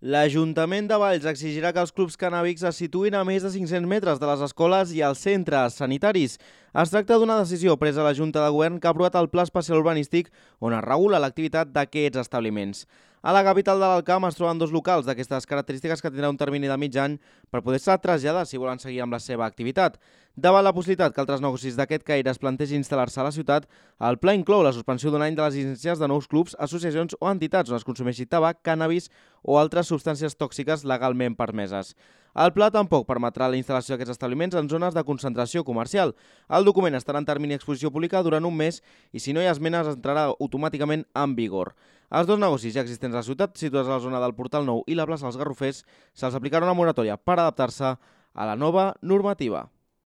L'Ajuntament de Valls exigirà que els clubs cannàbics es situïn a més de 500 metres de les escoles i els centres sanitaris. Es tracta d'una decisió presa a la Junta de Govern que ha aprovat el Pla Especial Urbanístic on es regula l'activitat d'aquests establiments. A la capital de l'Alt Camp es troben dos locals d'aquestes característiques que tindran un termini de mig any per poder-se traslladar si volen seguir amb la seva activitat. Davant la possibilitat que altres negocis d'aquest caire es plantegin instal·lar-se a la ciutat, el pla inclou la suspensió d'un any de les llicències de nous clubs, associacions o entitats on es consumeixi tabac, cànnabis o altres substàncies tòxiques legalment permeses. El pla tampoc permetrà la instal·lació d'aquests establiments en zones de concentració comercial. El document estarà en termini d'exposició pública durant un mes i si no hi ha esmenes entrarà automàticament en vigor. Els dos negocis ja existents a la ciutat, situats a la zona del Portal Nou i la plaça dels Garrofers, se'ls aplicarà una moratòria per adaptar-se a la nova normativa.